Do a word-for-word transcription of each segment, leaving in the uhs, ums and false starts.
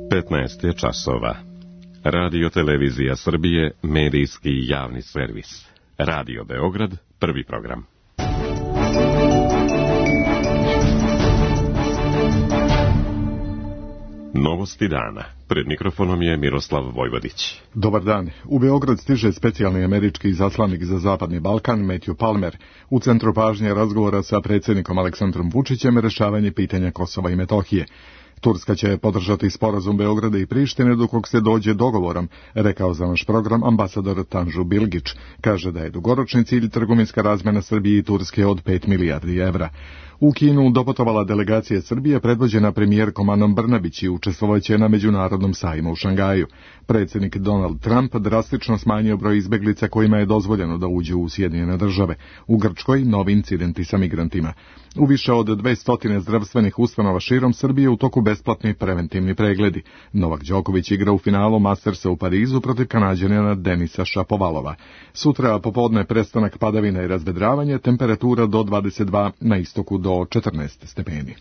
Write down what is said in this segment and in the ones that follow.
petnaest je časova. Radio Televizija Srbije, medijski javni servis. Radio Beograd, prvi program. Novosti dana. Pred mikrofonom je Miroslav Vojvodić. Dobar dan. U Beograd stiže specijalni američki izaslanik za Zapadni Balkan, Matthew Palmer. U centru pažnje razgovora sa predsjednikom Aleksandrom Vučićem rešavanje pitanja Kosova i Metohije. Turska će podržati sporazum Beograda i Prištine dok se dođe dogovorom, rekao za naš program ambasador Tanju Bilgić. Kaže da je dugoročni cilj trgovinska razmjena Srbije i Turske od pet milijardi evra. U Kinu doputovala delegacija Srbije predvođena premijerkom Anom Brnabić i učestvovaće na međunarodnom sajmu u Šangaju. Predsjednik Donald Trump drastično smanjio broj izbeglica kojima je dozvoljeno da uđu u Sjedinjene države. U Grčkoj novi incidenti sa migrantima. U više od dvesta zdravstvenih ustanova širom Srbije u toku besplatni preventivni pregledi. Novak Đoković igra u finalu Mastersa u Parizu protiv Kanađanina Denisa Šapovalova. Sutra popodne prestanak padavina i razvedravanje, temperatura do dvadeset dva, na istoku do četrnaest stepeni.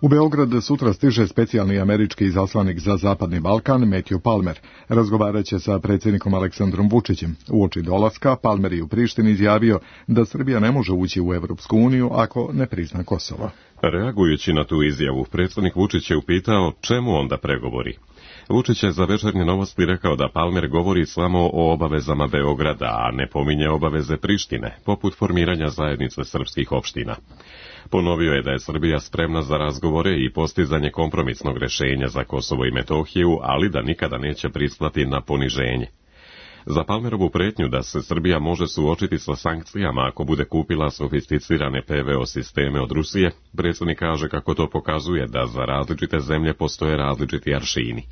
U Beograd sutra stiže specijalni američki izaslanik za Zapadni Balkan, Matthew Palmer. Razgovarat će sa predsjednikom Aleksandrom Vučićem. Uoči dolaska, Palmer je u Prištini izjavio da Srbija ne može ući u Evropsku uniju ako ne prizna Kosovo. Reagujući na tu izjavu, predsjednik Vučić je upitao čemu onda pregovori. Vučić je za Večernje novosti rekao da Palmer govori samo o obavezama Beograda, a ne pominje obaveze Prištine, poput formiranja zajednice srpskih opština. Ponovio je da je Srbija spremna za razgovore i postizanje kompromisnog rješenja za Kosovo i Metohiju, ali da nikada neće pristati na poniženje. Za Palmerovu pretnju da se Srbija može suočiti sa sankcijama ako bude kupila sofisticirane P V O sisteme od Rusije, predsjednik kaže kako to pokazuje da za različite zemlje postoje različiti aršini.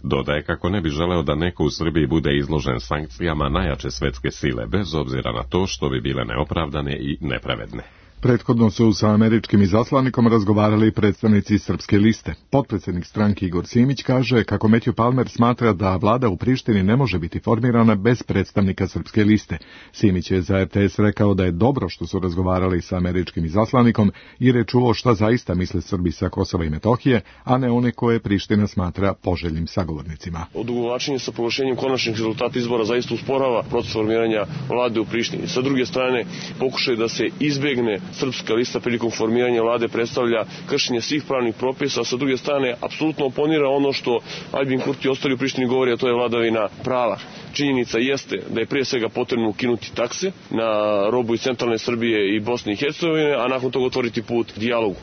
Dodaje kako ne bi želeo da neko u Srbiji bude izložen sankcijama najjače svetske sile, bez obzira na to što bi bile neopravdane i nepravedne. Prethodno su sa američkim izaslanikom razgovarali predstavnici Srpske liste. Potpredsjednik stranke Igor Simić kaže kako Matthew Palmer smatra da vlada u Prištini ne može biti formirana bez predstavnika Srpske liste. Simić je za R T S rekao da je dobro što su razgovarali sa američkim izaslanikom jer je čuo šta zaista misle Srbi sa Kosova i Metohije, a ne one koje Priština smatra poželjnim sagovornicima. Odugovlačenje sa proglašenjem konačnih rezultata izbora zaista usporava proces formiranja vlade u Prištini. Sa druge strane, pokušaj da se izbegne Srpska lista prilikom formiranja vlade predstavlja kršenje svih pravnih propisa, a sa druge strane apsolutno oponira ono što Aljbin Kurti i ostali u Prištini govori, a to je vladavina prava. Činjenica jeste da je prije svega potrebno ukinuti takse na robu iz centralne Srbije i Bosne i Hercegovine, a nakon toga otvoriti put dijalogu.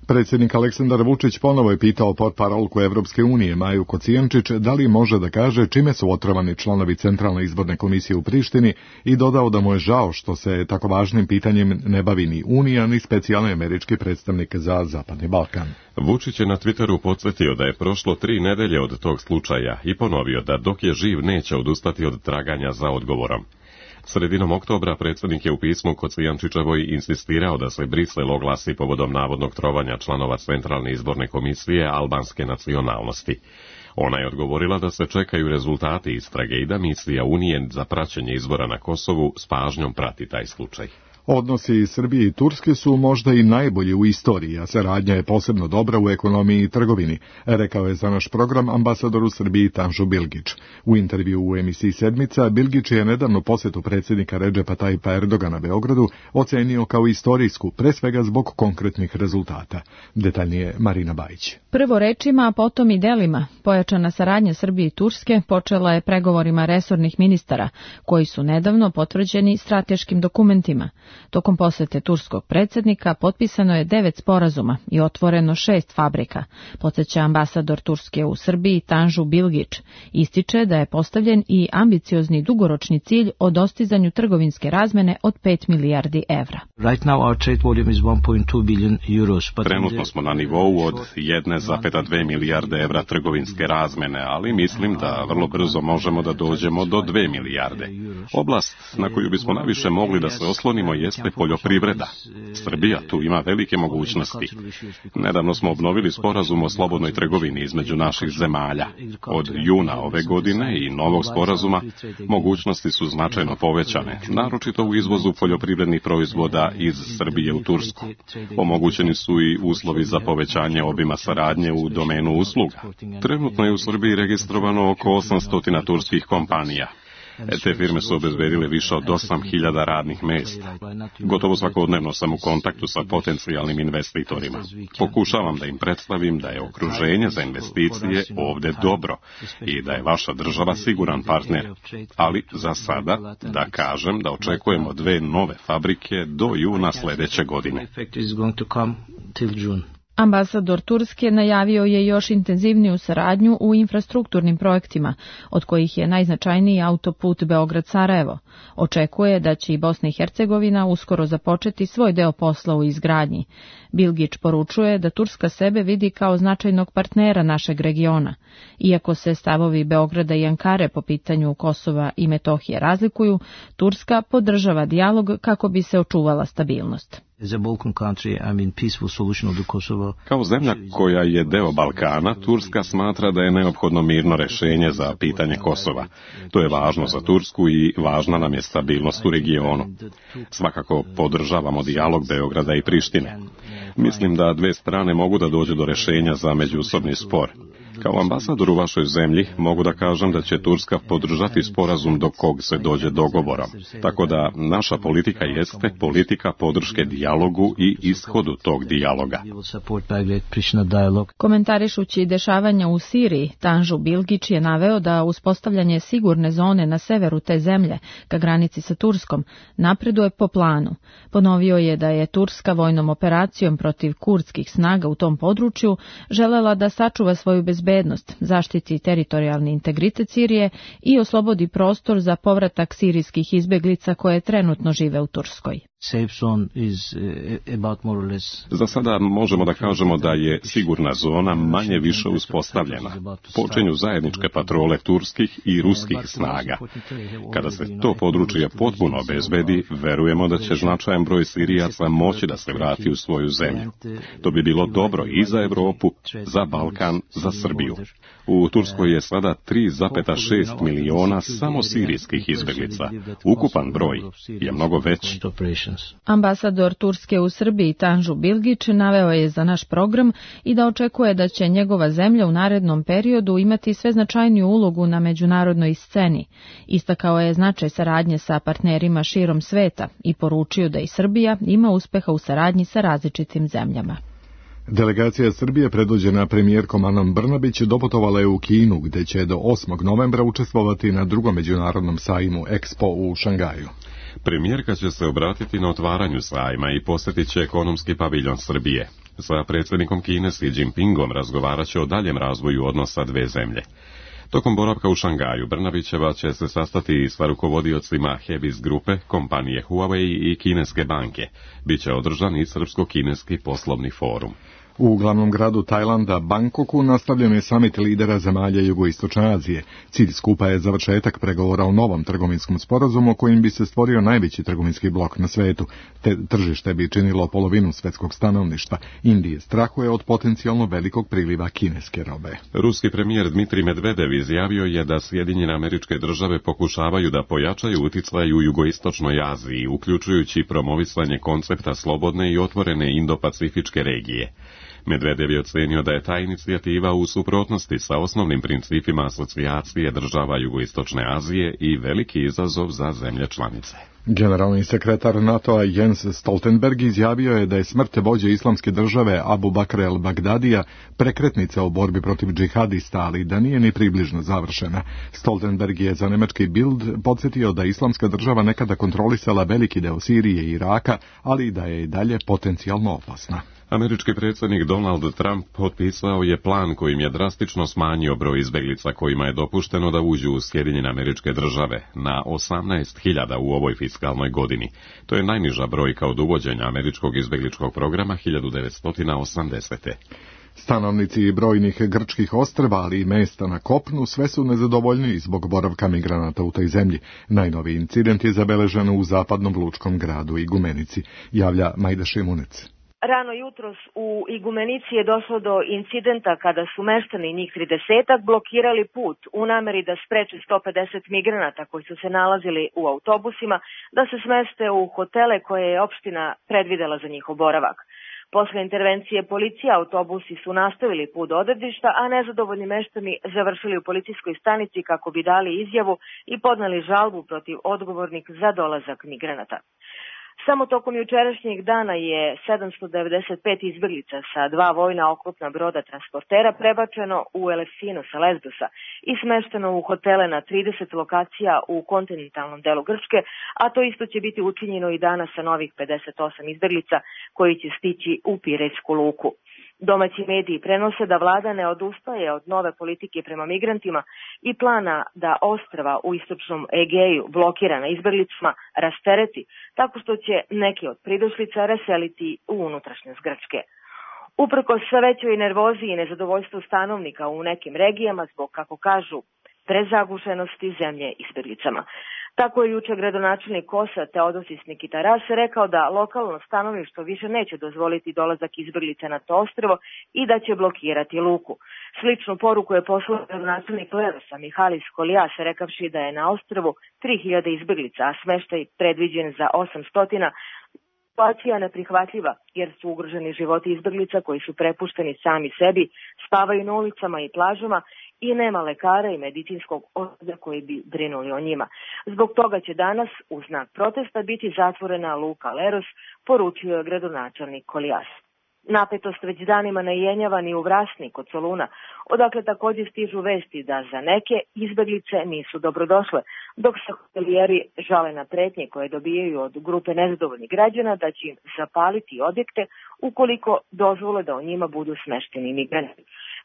Predsjednik Aleksandar Vučić ponovo je pitao portparolku Evropske unije Maju Kocijančić da li može da kaže čime su otrovani članovi Centralne izborne komisije u Prištini i dodao da mu je žao što se tako važnim pitanjem ne bavi ni Unija ni specijalni američki predstavnik za Zapadni Balkan. Vučić je na Twitteru podsjetio da je prošlo tri nedelje od tog slučaja i ponovio da dok je živ neće odustati od traganja za odgovorom. Sredinom oktobra predsjednik je u pismu Kocijančićevoj insistirao da se Brisel oglasi povodom navodnog trovanja članova Centralne izborne komisije albanske nacionalnosti. Ona je odgovorila da se čekaju rezultati istrage i da misija Unije za praćenje izbora na Kosovu s pažnjom prati taj slučaj. Odnosi Srbije i Turske su možda i najbolji u istoriji, a saradnja je posebno dobra u ekonomiji i trgovini, rekao je za naš program ambasador u Srbiji Tanju Bilgić. U intervju u emisiji Sedmica, Bilgić je nedavno posjetu predsjednika Redžepa Tajipa Erdogana Beogradu ocenio kao istorijsku, pre svega zbog konkretnih rezultata. Detaljnije Marina Bajić. Prvo rečima, a potom i delima. Pojačana saradnja Srbije i Turske počela je pregovorima resornih ministara, koji su nedavno potvrđeni strateškim dokumentima. Tokom posete turskog predsjednika potpisano je devet sporazuma i otvoreno šest fabrika, podsjeća ambasador Turske u Srbiji Tanju Bilgić. Ističe da je postavljen i ambiciozni dugoročni cilj o dostizanju trgovinske razmene od pet milijardi evra. Right now our trade volume is one point two billion euros. Trenutno smo na nivou od jedna zarez dve milijarde evra trgovinske razmene, ali mislim da vrlo brzo možemo da dođemo do dve milijarde. Oblast na koju bismo najviše mogli da se oslonimo jeste poljoprivreda. Srbija tu ima velike mogućnosti. Nedavno smo obnovili sporazum o slobodnoj trgovini između naših zemalja. Od juna ove godine i novog sporazuma mogućnosti su značajno povećane, naročito u izvozu poljoprivrednih proizvoda iz Srbije u Tursku. Omogućeni su i uslovi za povećanje obima saradnje u domenu usluga. Trenutno je u Srbiji registrovano oko osamsto turskih kompanija. Te firme su obezbedile više od osam hiljada radnih mesta. Gotovo svakodnevno sam u kontaktu sa potencijalnim investitorima. Pokušavam da im predstavim da je okruženje za investicije ovde dobro i da je vaša država siguran partner. Ali za sada da kažem da očekujemo dve nove fabrike do juna sledeće godine. Ambasador Turske najavio je još intenzivniju saradnju u infrastrukturnim projektima, od kojih je najznačajniji autoput Beograd-Sarajevo. Očekuje da će i Bosna i Hercegovina uskoro započeti svoj deo posla u izgradnji. Bilgić poručuje da Turska sebe vidi kao značajnog partnera našeg regiona. Iako se stavovi Beograda i Ankare po pitanju Kosova i Metohije razlikuju, Turska podržava dijalog kako bi se očuvala stabilnost. Kao zemlja koja je deo Balkana, Turska smatra da je neophodno mirno rešenje za pitanje Kosova. To je važno za Tursku i važna nam je stabilnost u regionu. Svakako podržavamo dijalog Beograda i Prištine. Mislim da dve strane mogu da dođu do rešenja za međusobni spor. Kao ambasador u vašoj zemlji mogu da kažem da će Turska podržati sporazum do kog se dođe dogovorom. Tako da naša politika jeste politika podrške dijalogu i ishodu tog dijaloga. Komentarišući dešavanja u Siriji, Tanžu Bilgić je naveo da uspostavljanje sigurne zone na severu te zemlje, ka granici sa Turskom, napreduje po planu. Ponovio je da je Turska vojnom operacijom protiv kurdskih snaga u tom području želela da sačuva svoju bezbednost, zaštiti teritorijalni integritet Sirije i oslobodi prostor za povratak sirijskih izbeglica koje trenutno žive u Turskoj. Za sada možemo da kažemo da je sigurna zona manje više uspostavljena. Počinju zajedničke patrole turskih i ruskih snaga. Kada se to područje potpuno obezbedi, verujemo da će značajan broj Sirijaca moći da se vrati u svoju zemlju. To bi bilo dobro i za Evropu, za Balkan, za Srbiju. U Turskoj je sada tri zarez šest miliona samo sirijskih izbeglica. Ukupan broj je mnogo veći. Ambasador Turske u Srbiji Tanžu Bilgić naveo je za naš program i da očekuje da će njegova zemlja u narednom periodu imati sve značajniju ulogu na međunarodnoj sceni. Istakao je značaj saradnje sa partnerima širom sveta i poručio da i Srbija ima uspeha u saradnji sa različitim zemljama. Delegacija Srbije predvođena premijerkom Anom Brnabić doputovala je u Kinu, gde će do osmog novembra učestvovati na drugom međunarodnom sajmu Expo u Šangaju. Premijerka će se obratiti na otvaranju sajma i posjetit će ekonomski paviljon Srbije. Sa predsjednikom Kine Xi Jinpingom razgovarat će o daljem razvoju odnosa dve zemlje. Tokom boravka u Šangaju, Brnabićeva će se sastati sa rukovodiocima Hebis grupe, kompanije Huawei i kineske banke. Biće održan i srpsko-kineski poslovni forum. U glavnom gradu Tajlanda, Bangkoku, nastavljen je samit lidera zemalja Jugoistočne Azije. Cilj skupa je završetak pregovora o novom trgovinskom sporazumu kojim bi se stvorio najveći trgovinski blok na svetu. Te tržište bi činilo polovinu svetskog stanovništva. Indije strahuje od potencijalno velikog priliva kineske robe. Ruski premijer Dmitrij Medvedev izjavio je da Sjedinjene Američke Države pokušavaju da pojačaju uticaj u Jugoistočnoj Aziji, uključujući promovisanje koncepta slobodne i otvorene Indo-Pacifičke regije. Medvedev je ocenio da je ta inicijativa u suprotnosti sa osnovnim principima asocijacije država Jugoistočne Azije i veliki izazov za zemlje članice. Generalni sekretar NATO-a Jens Stoltenberg izjavio je da je smrt vođe islamske države Abu Bakra el-Bagdadija prekretnica u borbi protiv džihadista, ali da nije ni približno završena. Stoltenberg je za nemački Bild podsjetio da islamska država nekada kontrolisala veliki deo Sirije i Iraka, ali da je i dalje potencijalno opasna. Američki predsjednik Donald Trump potpisao je plan kojim je drastično smanjio broj izbeglica kojima je dopušteno da uđu u Sjedinjene Američke Države na osamnaest hiljada u ovoj fiskalnoj godini. To je najniža brojka od uvođenja američkog izbegličkog programa hiljadu devetsto osamdesete. Stanovnici brojnih grčkih ostrva, ali i mesta na kopnu, sve su nezadovoljniji zbog boravka migranata u toj zemlji. Najnoviji incident je zabeležen u zapadnom lučkom gradu Igumenici, javlja Majda Šimunec. Rano jutros u Igumenici je došlo do incidenta kada su meštani, njih tridesetak, blokirali put u nameri da spreče sto pedeset migranata koji su se nalazili u autobusima da se smeste u hotele koje je opština predvidela za njihov boravak. Posle intervencije policije autobusi su nastavili put do odredišta, a nezadovoljni meštani završili u policijskoj stanici kako bi dali izjavu i podneli žalbu protiv odgovornih za dolazak migranata. Samo tokom jučerašnjeg dana je sedamsto devedeset pet izbeglica sa dva vojna oklopna broda transportera prebačeno u Elefsinu sa Lesbosa i smešteno u hotele na trideset lokacija u kontinentalnom delu Grčke, a to isto će biti učinjeno i danas sa novih pedeset osam izbeglica koji će stići u Pirejsku luku. Domaći mediji prenose da vlada ne odustaje od nove politike prema migrantima i plana da ostrva u istočnom Egeju blokirana izbeglicama rastereti tako što će neke od pridošlica raseliti u unutrašnjost Grčke. Uprkos sve većoj nervozi i nezadovoljstvu stanovnika u nekim regijama zbog, kako kažu, prezagušenosti zemlje izbeglicama. Tako je juče gradonačelnik Kosa Teodosis Nikitaras rekao da lokalno stanovništvo više neće dozvoliti dolazak izbeglica na to ostrvo i da će blokirati luku. Sličnu poruku je poslao gradonačelnik Lerosa Mihalis Kolias rekavši da je na ostrvu tri hiljade izbeglica, a smeštaj predviđen za osamsto. Situacija je neprihvatljiva jer su ugroženi životi izbeglica koji su prepušteni sami sebi, spavaju na ulicama i plažama i nema lekara i medicinskog osoblja koji bi brinuli o njima. Zbog toga će danas u znak protesta biti zatvorena luka Leros, poručio je gradonačelnik Kolias. Napetost već danima ne jenjava ni u Vrasni kod Soluna, odakle također stižu vesti da za neke izbeglice nisu dobrodošle, dok se hotelijeri žale na pretnje koje dobijaju od grupe nezadovoljnih građana da će im zapaliti objekte ukoliko dozvole da o njima budu smešteni migranti.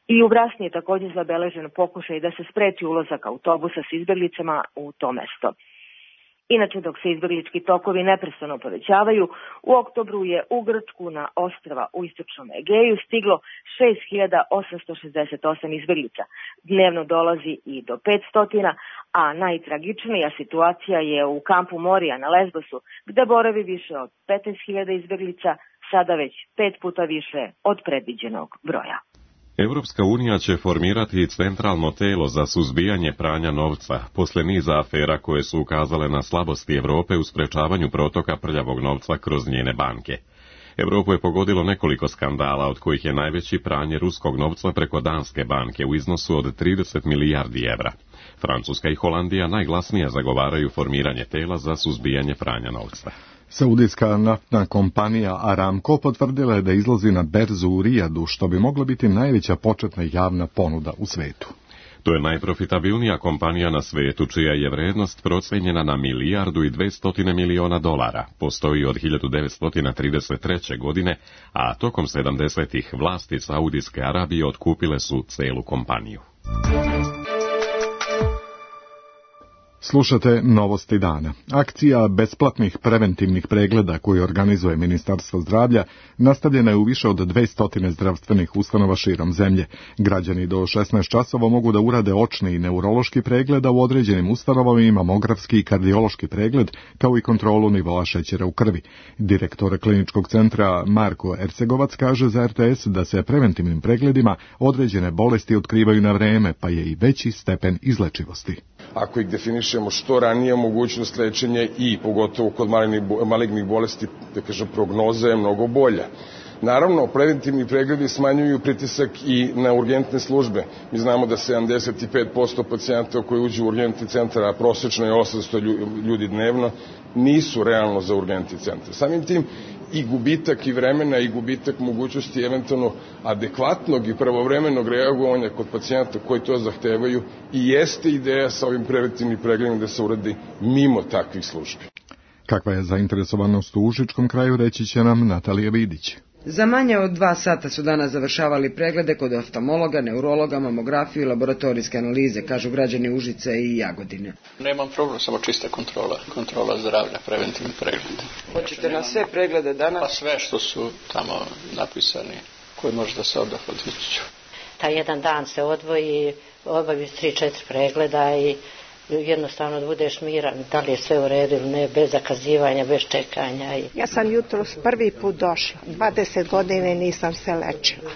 I u Vrasni je također zabeležen pokušaj da se spreči ulazak autobusa s izbeglicama u to mesto. Inače, dok se izbeglički tokovi neprestano povećavaju, u oktobru je u Grčku na ostrva u istočnom Egeju stiglo šest hiljada osamsto šezdeset osam izbeglica. Dnevno dolazi i do petsto, a najtragičnija situacija je u kampu Morija na Lesbosu, gde boravi više od petnaest hiljada izbeglica, sada već pet puta više od predviđenog broja. Europska unija će formirati centralno telo za suzbijanje pranja novca, posle niza afera koje su ukazale na slabosti Europe u sprečavanju protoka prljavog novca kroz njene banke. Europu je pogodilo nekoliko skandala, od kojih je najveći pranje ruskog novca preko Danske banke u iznosu od trideset milijardi evra. Francuska i Holandija najglasnije zagovaraju formiranje tela za suzbijanje pranja novca. Saudijska naftna kompanija Aramco potvrdila je da izlazi na berzu u Rijadu, što bi mogla biti najveća početna javna ponuda u svetu. To je najprofitabilnija kompanija na svetu, čija je vrednost procenjena na milijardu i dvestotine miliona dolara. Postoji od hiljadu devetsto trideset treće. godine, a tokom sedamdesetih vlasti Saudijske Arabije otkupile su celu kompaniju. Slušate Novosti dana. Akcija besplatnih preventivnih pregleda koju organizuje Ministarstvo zdravlja nastavljena je u više od dvesta zdravstvenih ustanova širom zemlje. Građani do šesnaest časova mogu da urade očni i neurološki pregled, a u određenim ustanovama i mamografski i kardiološki pregled, kao i kontrolu nivoa šećera u krvi. Direktor kliničkog centra Marko Ercegovac kaže za R T S da se preventivnim pregledima određene bolesti otkrivaju na vreme, pa je i veći stepen izlečivosti. Ako ih definišemo što ranije, mogućnost lečenja i pogotovo kod malignih bolesti, da kažem, prognoza je mnogo bolja. Naravno, preventivni pregledi smanjuju pritisak i na urgentne službe. Mi znamo da sedamdeset pet posto pacijenata koji uđu u urgentni centar, a prosečno je osamsto ljudi dnevno, nisu realno za urgentni centar. Samim tim i gubitak i vremena i gubitak mogućnosti eventualno adekvatnog i pravovremenog reagovanja kod pacijenta koji to zahtevaju i jeste ideja sa ovim preventivnim pregledom da se uradi mimo takvih službi. Kakva je zainteresovanost u Užičkom kraju, reći će nam Natalija Vidić. Za manje od dva sata su danas završavali preglede kod oftalmologa, neurologa, mamografiju i laboratorijske analize, kažu građani Užice i Jagodine. Nemam problem, samo čista kontrola, kontrola zdravlja, preventivni pregled. Hoćete na sve preglede danas? Pa sve što su tamo napisani koji može da se oda od Vučiću. Taj jedan dan se odvoji, obavi tri četiri pregleda i jednostavno da budeš miran, da li je sve u redu ili ne, bez zakazivanja, bez čekanja. Ja sam jutros prvi put došla, dvadeset godine nisam se lečila.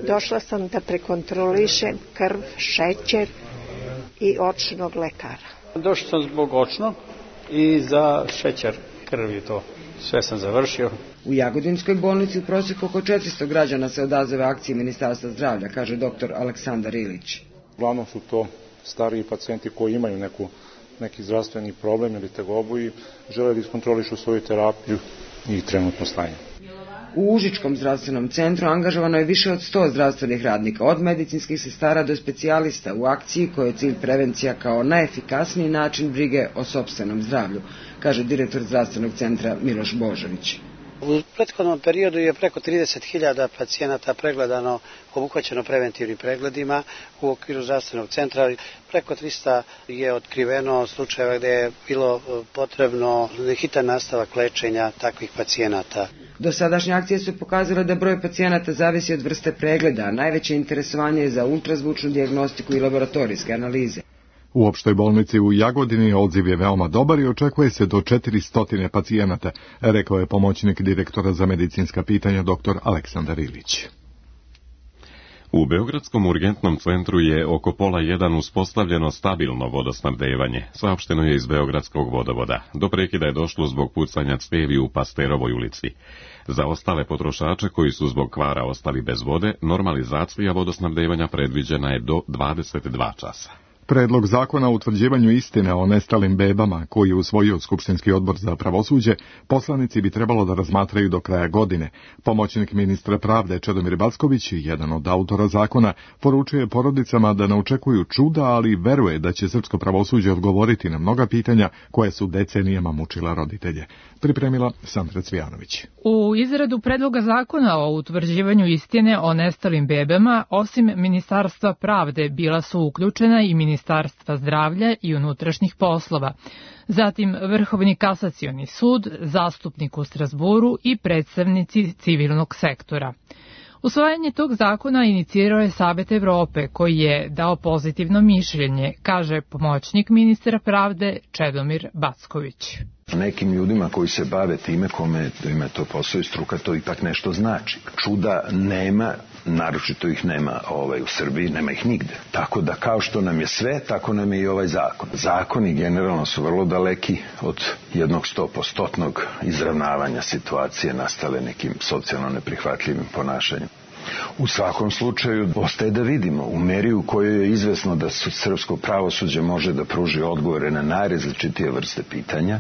Došla sam da prekontrolišem krv, šećer i očnog lekara. Došla sam zbog očnog i za šećer krvi to. Sve sam završio. U Jagodinskoj bolnici u prosjeku oko četiristo građana se odazove akciji Ministarstva zdravlja, kaže doktor Aleksandar Ilić. Uglavnom su to stariji pacijenti koji imaju neku, neki zdravstveni problem ili tegobu i žele da iskontrolišu svoju terapiju i trenutno stanje. U Užičkom zdravstvenom centru angažovano je više od sto zdravstvenih radnika, od medicinskih sestara do specijalista u akciji koja je cilj prevencija kao najefikasniji način brige o sopstvenom zdravlju, kaže direktor zdravstvenog centra Miloš Božović. U prethodnom periodu je preko trideset hiljada pacijenata pregledano, obuhvaćeno preventivnim pregledima u okviru zdravstvenog centra. Preko trista je otkriveno slučajeva gdje je bilo potrebno hitan nastavak lečenja takvih pacijenata. Dosadašnje akcije su pokazale da broj pacijenata zavisi od vrste pregleda, a najveće interesovanje je za ultrazvučnu dijagnostiku i laboratorijske analize. U opštoj bolnici u Jagodini odziv je veoma dobar i očekuje se do četiristo pacijenata, rekao je pomoćnik direktora za medicinska pitanja dr. Aleksandar Ilić. U Beogradskom urgentnom centru je oko pola jedan uspostavljeno stabilno vodosnabdevanje, saopšteno je iz Beogradskog vodovoda. Do prekida je došlo zbog pucanja cevi u Pasterovoj ulici. Za ostale potrošače koji su zbog kvara ostali bez vode, normalizacija vodosnabdevanja predviđena je do dvadeset dva časa. Predlog zakona o utvrđivanju istine o nestalim bebama, koji je usvojio Skupštinski odbor za pravosuđe, poslanici bi trebalo da razmatraju do kraja godine. Pomoćnik ministra pravde Čedomir Backović, jedan od autora zakona, poručuje porodicama da ne očekuju čuda, ali veruje da će srpsko pravosuđe odgovoriti na mnoga pitanja koje su decenijama mučila roditelje. Pripremila Sandra Cvijanović. U izradu predloga zakona o utvrđivanju istine o nestalim bebama, osim Ministarstva pravde, bila su uključena i Ministarstva zdravlja i unutrašnjih poslova, zatim Vrhovni kasacioni sud, zastupnik u Strazburu i predstavnici civilnog sektora. Usvajanje tog zakona inicirao je Savet Evrope, koji je dao pozitivno mišljenje, kaže pomoćnik ministra pravde Čedomir Backović. Nekim ljudima koji se bave time, kome ima to posao i struka, to ipak nešto znači. Čuda nema, naročito ih nema ovaj, u Srbiji, nema ih nigde. Tako da kao što nam je sve, tako nam je i ovaj zakon. Zakoni generalno su vrlo daleki od jednog stopostotnog izravnavanja situacije nastale nekim socijalno neprihvatljivim ponašanjem. U svakom slučaju ostaje da vidimo u meri u kojoj je izvesno da srpsko pravosuđe može da pruži odgovore na najrazličitije vrste pitanja,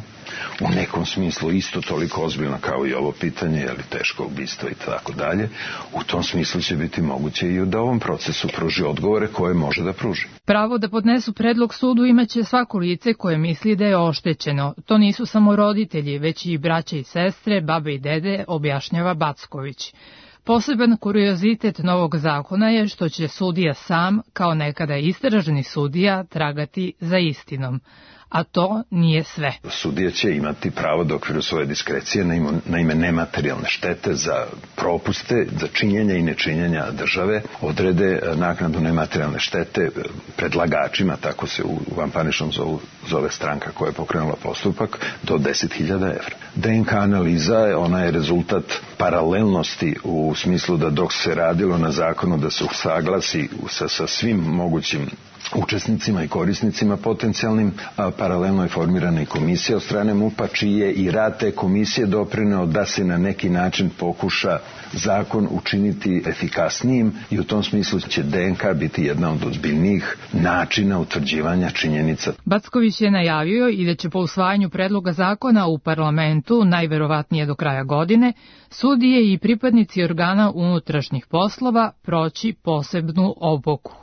u nekom smislu isto toliko ozbiljno kao i ovo pitanje, je li teško ubistvo i tako dalje, u tom smislu će biti moguće i da ovom procesu pruži odgovore koje može da pruži. Pravo da podnesu predlog sudu imaće svako lice koje misli da je oštećeno. To nisu samo roditelji, već i braća i sestre, babe i dede, objašnjava Backović. Poseban kuriozitet novog zakona je što će sudija sam, kao nekada istraženi sudija, tragati za istinom. A to nije sve. Sudija će imati pravo da okviru svoje diskrecije na ime nematerijalne štete za propuste, za činjenja i nečinjenja države, odrede naknadu nematerijalne štete predlagačima, tako se u vanparničnom zove stranka koja je pokrenula postupak, do deset hiljada evra. D N K analiza, ona je rezultat paralelnosti u smislu da dok se radilo na zakonu da se usaglasi sa, sa svim mogućim učesnicima i korisnicima potencijalnim, a paralelno je formirana i komisija od strane M U P-a, čiji je i rad te komisije doprineo da se na neki način pokuša zakon učiniti efikasnijim i u tom smislu će D N K biti jedna od ozbiljnijih načina utvrđivanja činjenica. Backović je najavio i da će po usvajanju predloga zakona u parlamentu, najverovatnije do kraja godine, sudije i pripadnici organa unutrašnjih poslova proći posebnu obuku.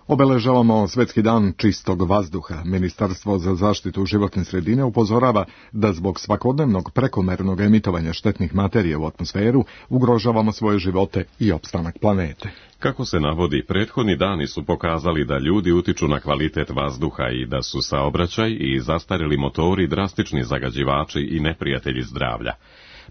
Obeležavamo Svetski dan čistog vazduha. Ministarstvo za zaštitu životne sredine upozorava da zbog svakodnevnog prekomernog emitovanja štetnih materija u atmosferu ugrožavamo svoje živote i opstanak planete. Kako se navodi, prethodni dani su pokazali da ljudi utiču na kvalitet vazduha i da su saobraćaj i zastarjeli motori drastični zagađivači i neprijatelji zdravlja.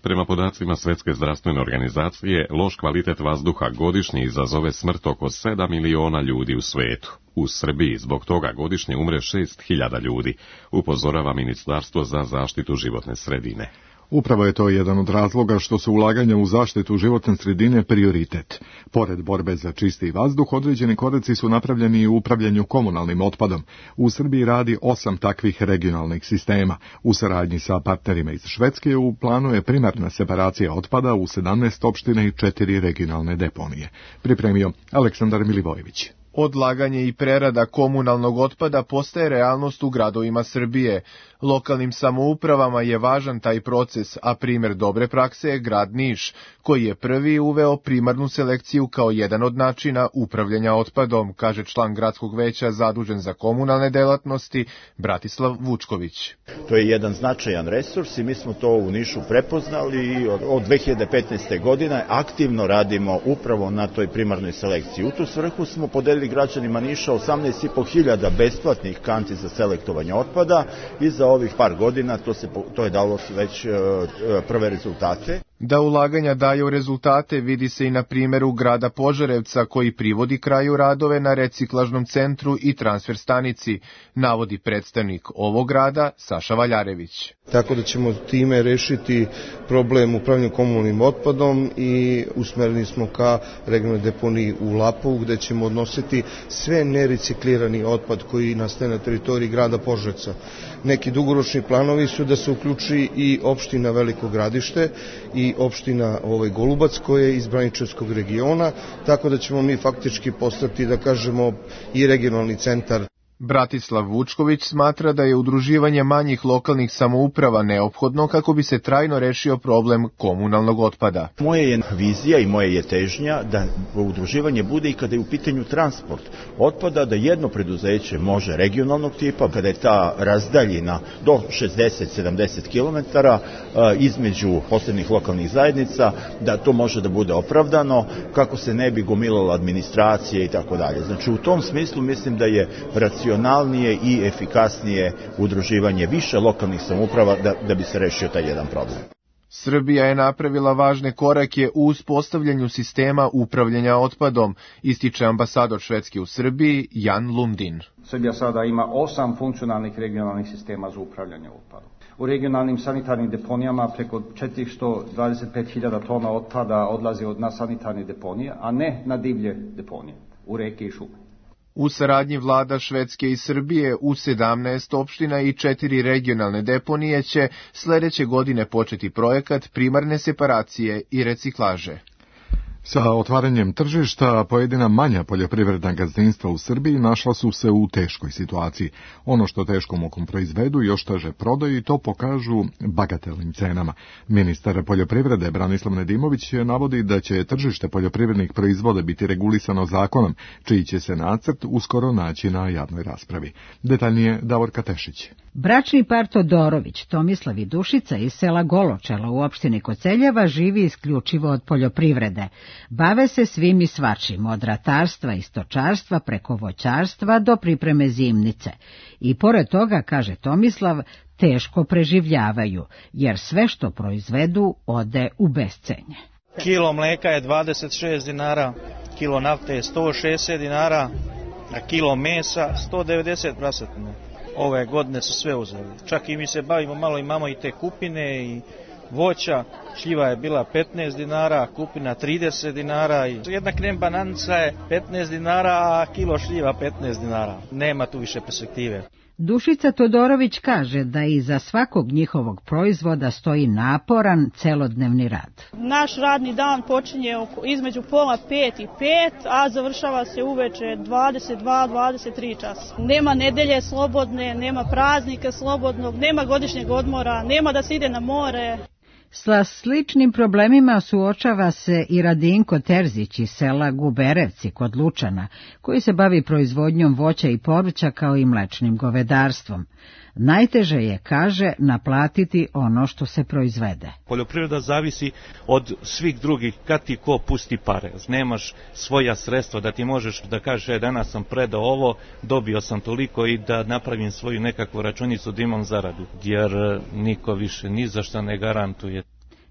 Prema podacima Svetske zdravstvene organizacije, loš kvalitet vazduha godišnje izazove smrt oko sedam miliona ljudi u svetu. U Srbiji zbog toga godišnje umre šest hiljada ljudi, upozorava Ministarstvo za zaštitu životne sredine. Upravo je to jedan od razloga što su ulaganja u zaštitu životne sredine prioritet. Pored borbe za čisti vazduh, određeni koraci su napravljeni i u upravljanju komunalnim otpadom. U Srbiji radi osam takvih regionalnih sistema. U saradnji sa partnerima iz Švedske u planu je primarna separacija otpada u sedamnaest opština i četiri regionalne deponije. Pripremio Aleksandar Milivojević. Odlaganje i prerada komunalnog otpada postaje realnost u gradovima Srbije. Lokalnim samoupravama je važan taj proces, a primer dobre prakse je grad Niš, koji je prvi uveo primarnu selekciju kao jedan od načina upravljanja otpadom, kaže član gradskog veća zadužen za komunalne delatnosti Bratislav Vučković. To je jedan značajan resurs i mi smo to u Nišu prepoznali i od dve hiljade petnaeste. godine aktivno radimo upravo na toj primarnoj selekciji. U tu svrhu smo podelili građanima Niša osamnaest i po hiljada besplatnih kanti za selektovanje otpada i za ovih par godina to, se, to je dalo već uh, prve rezultate. Da ulaganja daju rezultate vidi se i na primjeru grada Požarevca koji privodi kraju radove na reciklažnom centru i transfer stanici, navodi predstavnik ovog grada Saša Valjarević. Tako da ćemo time rešiti problem upravljanja komunalnim otpadom i usmereni smo ka regionalnoj deponiji u Lapovu gde ćemo odnositi sve nereciklirani otpad koji nastaje na teritoriji grada Požarevca. Neki dugoročni planovi su da se uključi i opština Veliko Gradište i opština ovaj, Golubac koja je iz Braničevskog regiona, tako da ćemo mi faktički postati, da kažemo, i regionalni centar. Bratislav Vučković smatra da je udruživanje manjih lokalnih samouprava neophodno kako bi se trajno rešio problem komunalnog otpada. Moje je vizija i moje je težnja da udruživanje bude i kada je u pitanju transport otpada, da jedno preduzeće može regionalnog tipa, kada je ta razdaljina do šezdeset do sedamdeset kilometara između posebnih lokalnih zajednica, da to može da bude opravdano, kako se ne bi gomilala administracija i tako dalje. Znači u tom smislu mislim da je racionalnije i efikasnije udruživanje više lokalnih samouprava da, da bi se rešio taj jedan problem. Srbija je napravila važne korake u uspostavljanju sistema upravljanja otpadom, ističe ambasador Švedske u Srbiji Jan Lundin. Srbija sada ima osam funkcionalnih regionalnih sistema za upravljanje otpadom. U regionalnim sanitarnim deponijama preko četiristo dvadeset pet hiljada tona otpada odlazi od na sanitarne deponije, a ne na divlje deponije, u reke i šume. U saradnji vlada Švedske i Srbije u sedamnaest opština i četiri regionalne deponije će sledeće godine početi projekat primarne separacije i reciklaže. Sa otvaranjem tržišta, pojedina manja poljoprivredna gazdinstva u Srbiji našla su se u teškoj situaciji. Ono što teškom mukom proizvedu još teže prodaju i to pokažu bagatelnim cenama. Ministar poljoprivrede Branislav Nedimović navodi da će tržište poljoprivrednih proizvoda biti regulisano zakonom, čiji će se nacrt uskoro naći na javnoj raspravi. Detaljnije Davorka Tešić. Bračni par Todorović, Tomislav i Dušica iz sela Goločelo u opštini Koceljeva živi isključivo od poljoprivrede. Bave se svim i svačim, od ratarstva i stočarstva preko voćarstva do pripreme zimnice. I pored toga, kaže Tomislav, teško preživljavaju, jer sve što proizvedu ode u bescenje. Kilo mleka je dvadeset šest dinara, kilo nafte je sto šezdeset dinara, a kilo mesa sto devedeset prasetine. Ove godine su sve uzeli. Čak i mi se bavimo malo, imamo i te kupine i voća. Šljiva je bila petnaest dinara, kupina trideset dinara. I jedna krem bananica je petnaest dinara, a kilo šljiva petnaest dinara. Nema tu više perspektive. Dušica Todorović kaže da iza svakog njihovog proizvoda stoji naporan celodnevni rad. Naš radni dan počinje između pola pet i pet, a završava se uveče dvadeset dva do dvadeset tri časa. Nema nedelje slobodne, nema praznika slobodnog, nema godišnjeg odmora, nema da se ide na more. Sa sličnim problemima suočava se i Radinko Terzić iz sela Guberevci kod Lučana, koji se bavi proizvodnjom voća i povrća kao i mlečnim govedarstvom. Najteže je, kaže, naplatiti ono što se proizvede. Poljoprivreda zavisi od svih drugih, kad ti ko pusti pare. Nemaš svoja sredstva da ti možeš da kažeš, e, danas sam predao ovo, dobio sam toliko i da napravim svoju nekakvu računicu da imam zaradu, jer niko više ni za šta ne garantuje.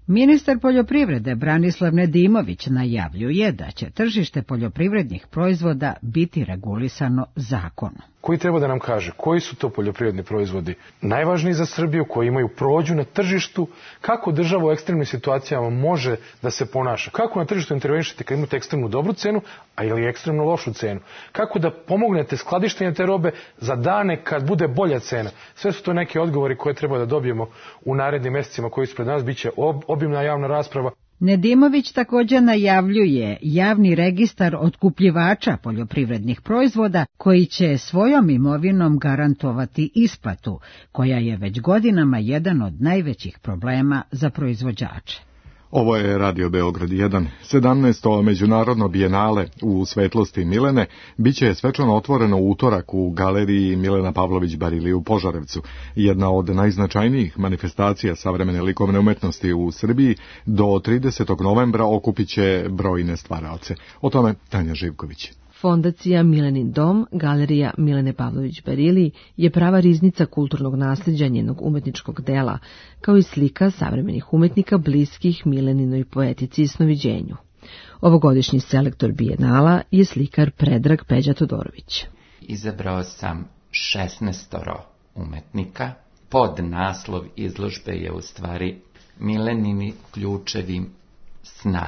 Ministar poljoprivrede Branislav Nedimović najavljuje da će tržište poljoprivrednih proizvoda biti regulisano zakonom. Koji treba da nam kaže koji su to poljoprivredni proizvodi najvažniji za Srbiju, koji imaju prođu na tržištu, kako država u ekstremnim situacijama može da se ponaša, kako na tržištu intervenišete kad imate ekstremnu dobru cenu, a ili ekstremno lošu cenu, kako da pomognete skladištenje te robe za dane kad bude bolja cena. Sve su to neki odgovori koje treba da dobijemo u narednim mesecima koji su pred nas, bit će ob, obimna javna rasprava. Nedimović također najavljuje javni registar otkupljivača poljoprivrednih proizvoda koji će svojom imovinom garantovati isplatu, koja je već godinama jedan od najvećih problema za proizvođače. Ovo je Radio Beograd jedan. sedamnaesto međunarodno bijenale u svetlosti Milene biće svečano otvoreno u utorak u galeriji Milena Pavlović Barili u Požarevcu. Jedna od najznačajnijih manifestacija savremene likovne umetnosti u Srbiji do tridesetog novembra okupit će brojne stvaraoce. O tome Tanja Živković. Fondacija Milenin dom, galerija Milene Pavlović Barili, je prava riznica kulturnog nasljeđa njenog umetničkog dela, kao i slika savremenih umetnika bliskih Mileninoj poetici i snoviđenju. Ovogodišnji selektor bijenala je slikar Predrag Peđa Todorović. Izabrao sam šesnaestoro umetnika. Pod naslov izložbe je u stvari Milenini ključevi sna.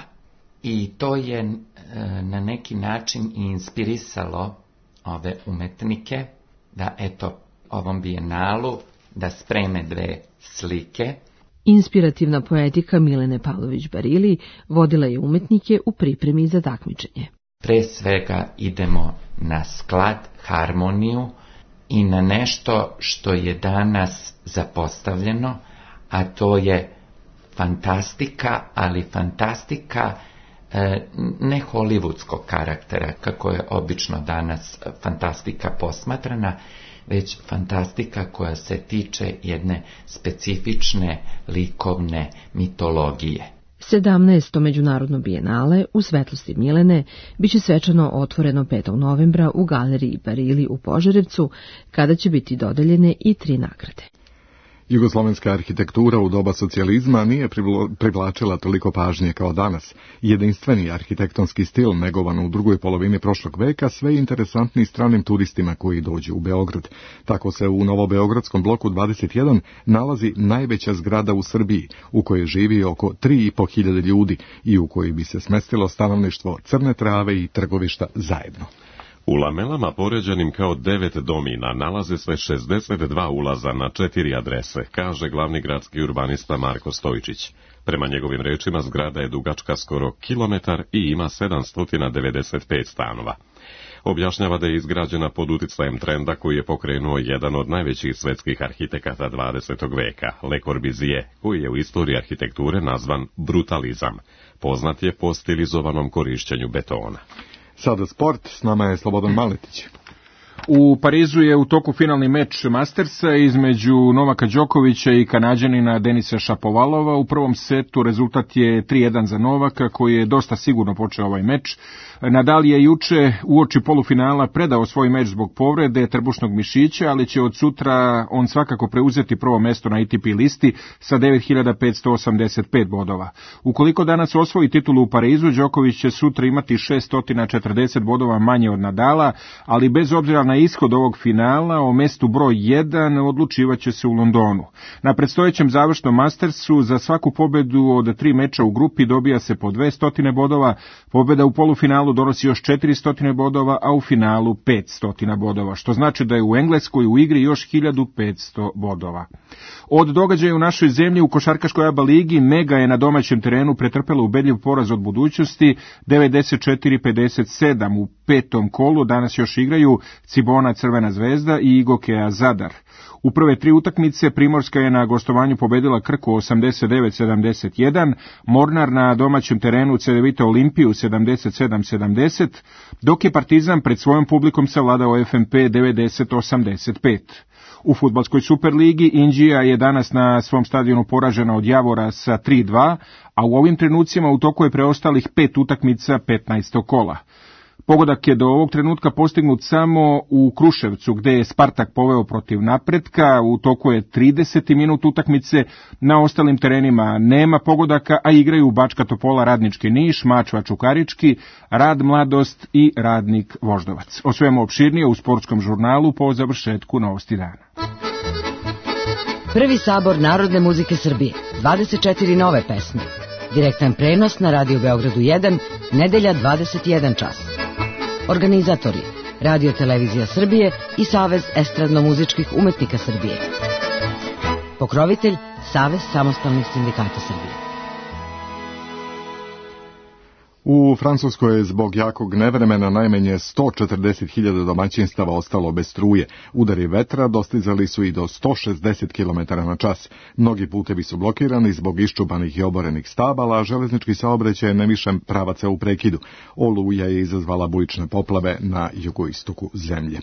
I to je e, na neki način i inspirisalo ove umetnike da eto ovom bijenalu da spreme dve slike. Inspirativna poetika Milene Pavlović Barili vodila je umetnike u pripremi za takmičenje. Pre svega idemo na sklad, harmoniju i na nešto što je danas zapostavljeno, a to je fantastika, ali fantastika ne hollywoodskog karaktera, kako je obično danas fantastika posmatrana, već fantastika koja se tiče jedne specifične likovne mitologije. sedamnaesto međunarodno bijenale u svetlosti Milene biće svečano otvoreno petog novembra u galeriji Barili u Požarevcu, kada će biti dodeljene i tri nagrade. Jugoslovenska arhitektura u doba socijalizma nije privlačila toliko pažnje kao danas. Jedinstveni arhitektonski stil negovan u drugoj polovini prošlog veka sve je interesantni stranim turistima koji dođu u Beograd. Tako se u Novobeogradskom bloku dvadeset jedan nalazi najveća zgrada u Srbiji, u kojoj živi oko tri i po hiljade ljudi i u kojoj bi se smestilo stanovništvo Crne Trave i Trgovišta zajedno. U lamelama poređenim kao devet domina nalaze se šezdeset dva ulaza na četiri adrese, kaže glavni gradski urbanista Marko Stojičić. Prema njegovim rečima zgrada je dugačka skoro kilometar i ima sedamsto devedeset pet stanova. Objašnjava da je izgrađena pod uticajem trenda koji je pokrenuo jedan od najvećih svetskih arhitekata dvadesetog veka, Le Corbusier, koji je u istoriji arhitekture nazvan brutalizam. Poznat je po stilizovanom korišćenju betona. Sada sport, s nama je Slobodan Maletić. U Parizu je u toku finalni meč Mastersa između Novaka Đokovića i Kanađanina Denisa Šapovalova. U prvom setu rezultat je tri jedan za Novaka, koji je dosta sigurno počeo ovaj meč. Nadal je juče uoči polufinala predao svoj meč zbog povrede trbušnog mišića, ali će od sutra on svakako preuzeti prvo mesto na A T P listi sa devet hiljada petsto osamdeset pet bodova. Ukoliko danas osvoji titulu u Parizu, Đoković će sutra imati šesto četrdeset bodova manje od Nadala, ali bez obzira na ishod ovog finala o mestu broj jedan odlučivaće se u Londonu. Na predstojećem završnom Mastersu za svaku pobedu od tri meča u grupi dobija se po dvesta bodova, pobeda u polufinalu donosi još četiristo bodova, a u finalu petsto bodova, što znači da je u Engleskoj u igri još hiljadu petsto bodova. Od događaja u našoj zemlji u košarkaškoj A B A ligi Mega je na domaćem terenu pretrpela ubedljiv poraz od Budućnosti devedeset četiri pedeset sedam. U petom kolu danas još igraju Cibona Crvena zvezda i Igokea Zadar. U prve tri utakmice Primorska je na gostovanju pobedila Krku osamdeset devet sedamdeset jedan, Mornar na domaćem terenu Cedevita Olimpiju sedamdeset sedam sedamdeset, dok je Partizan pred svojom publikom savladao F M P devedeset osamdeset pet. U fudbalskoj Superligi Inđija je danas na svom stadionu poražena od Javora sa tri dva, a u ovim trenucima u toku je preostalih pet utakmica petnaestog kola. Pogodak je do ovog trenutka postignut samo u Kruševcu, gde je Spartak poveo protiv Napretka, u toku je trideseti minut utakmice, na ostalim terenima nema pogodaka, a igraju Bačka Topola, Radnički Niš, Mačva Čukarički, Rad Mladost i Radnik Voždovac. O svemu opširnije u sportskom žurnalu po završetku Novosti dana. Prvi sabor Narodne muzike Srbije, dvadeset četiri nove pesme. Direktan prenos na Radio Beogradu jedan, nedelja dvadeset jedan čas. Organizatori Radio Televizija Srbije i Savez estradno-muzičkih umetnika Srbije. Pokrovitelj Savez samostalnih sindikata Srbije. U Francuskoj je zbog jakog nevremena najmanje sto četrdeset hiljada domaćinstava ostalo bez struje. Udari vetra dostizali su i do sto šezdeset kilometara na čas. Mnogi putevi su blokirani zbog iščupanih i oborenih stabala, a železnički saobraćaj na više pravaca u prekidu. Oluja je izazvala bujične poplave na jugoistoku zemlje.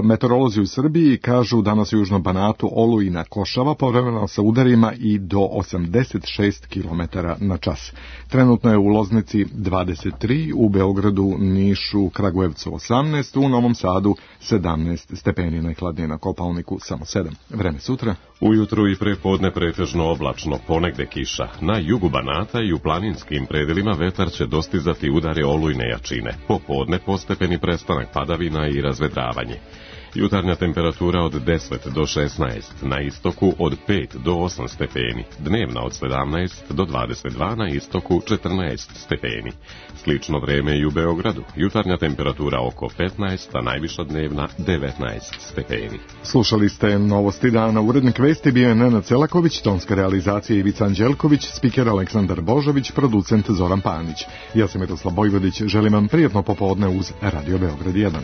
Meteorolozi u Srbiji kažu danas u Južnom Banatu olujna košava povremeno sa udarima i do osamdeset šest kilometara na čas. Trenutno je u Loznici dvadeset tri, u Beogradu, Nišu, Kragujevcu osamnaest, u Novom Sadu sedamnaest stepeni, najhladnije na Kopaoniku samo sedam. Vreme sutra. Ujutru i prepodne pretežno oblačno, ponegde kiša. Na jugu Banata i u planinskim predelima vetar će dostizati udare olujne jačine. Popodne postepeni prestanak padavina i razvedravanje. Jutarnja temperatura od deset do šesnaest, na istoku od pet do osam stepeni, dnevna od sedamnaest do dvadeset dva, na istoku četrnaest stepeni. Slično vreme i u Beogradu, jutarnja temperatura oko petnaest, a najviša dnevna devetnaest stepeni. Slušali ste Novosti dana, urednik vesti bio je Nenad Celaković, tonska realizacija Ivica Anđelković, spiker Aleksandar Božović, producent Zoran Panić. Ja sam Miroslav Bojvodić, želim vam prijatno popodne uz Radio Beograd jedan.